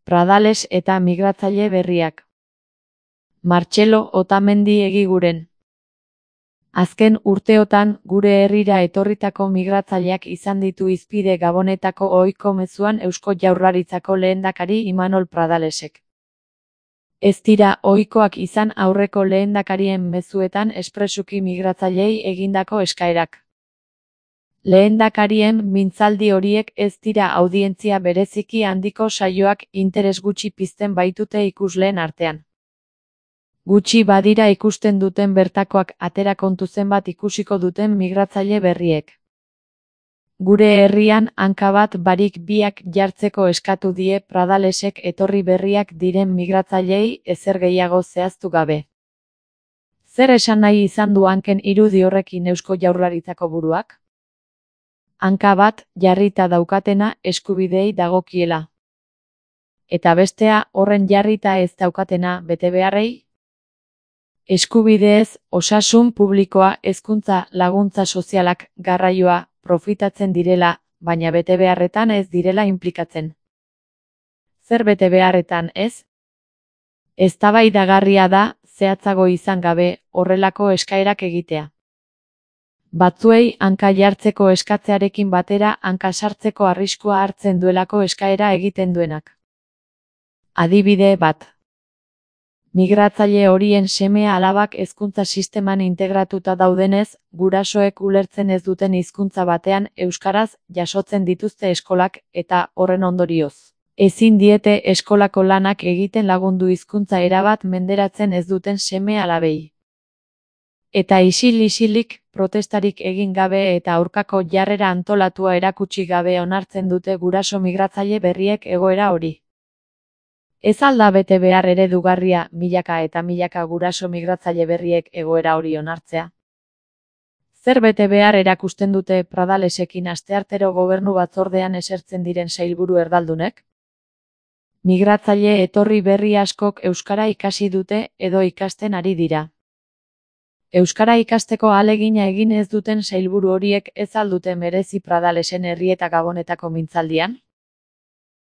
Pradales eta migratzaile berriak. Martxelo Otamendi Egiguren. Azken urteotan gure herrira etorritako migratzaileak izan ditu hizpide Gabonetako ohiko mezuan Eusko Jaurlaritzako lehendakari Imanol Pradalesek. Ez dira ohikoak izan aurreko lehendakarien mezuetan espresuki migratzaileei egindako eskaerak. Lehendakarien mintzaldi horiek ez dira audientzia bereziki handiko saioak, interes gutxi pizten baitute ikusleen artean. Gutxi badira ikusten duten bertakoak, atera kontu zenbat ikusiko duten migratzaile berriek. Gure herrian hanka bat barik biak jartzeko eskatu die Pradalesek etorri berriak diren migratzaileei ezer gehiago zehaztu gabe. Zer esan nahi izan du hanken irudi horrekin Eusko Jaurlaritzako buruak? Hanka bat jarrita daukatena eskubideei dagokiela. Eta bestea horren jarrita ez daukatena betebeharrei? Eskubideez, osasun publikoa, hezkuntza, laguntza sozialak, garraioa, profitatzen direla, baina betebeharretan ez direla inplikatzen. Zer betebeharretan ez? Eztabaidagarria da, zehatzago izan gabe, horrelako eskaerak egitea. Batzuei hanka jartzeko eskatzearekin batera hanka sartzeko arriskua hartzen duelako eskaera egiten duenak. Adibide bat. Migratzaile horien seme-alabak hezkuntza sisteman integratuta daudenez, gurasoek ulertzen ez duten hizkuntza batean euskaraz jasotzen dituzte eskolak eta horren ondorioz. Ezin diete eskolako lanak egiten lagundu hizkuntza erabat menderatzen ez duten seme-alabei. Eta isil-isilik, protestarik egin gabe eta aurkako jarrera antolatua erakutsi gabe onartzen dute guraso migratzaile berriek egoera hori. Ez alda bete behar eredugarria milaka eta milaka guraso migratzaile berriek egoera hori onartzea? Zer bete behar erakusten dute Pradalesekin asteartero gobernu batzordean esertzen diren sailburu erdaldunek? Migratzaile etorri berri askok euskara ikasi dute edo ikasten ari dira. Euskara ikasteko ahalegina egin ez duten sailburu horiek ez al dute merezi Pradalesen herri eta Gabonetako mintzaldian?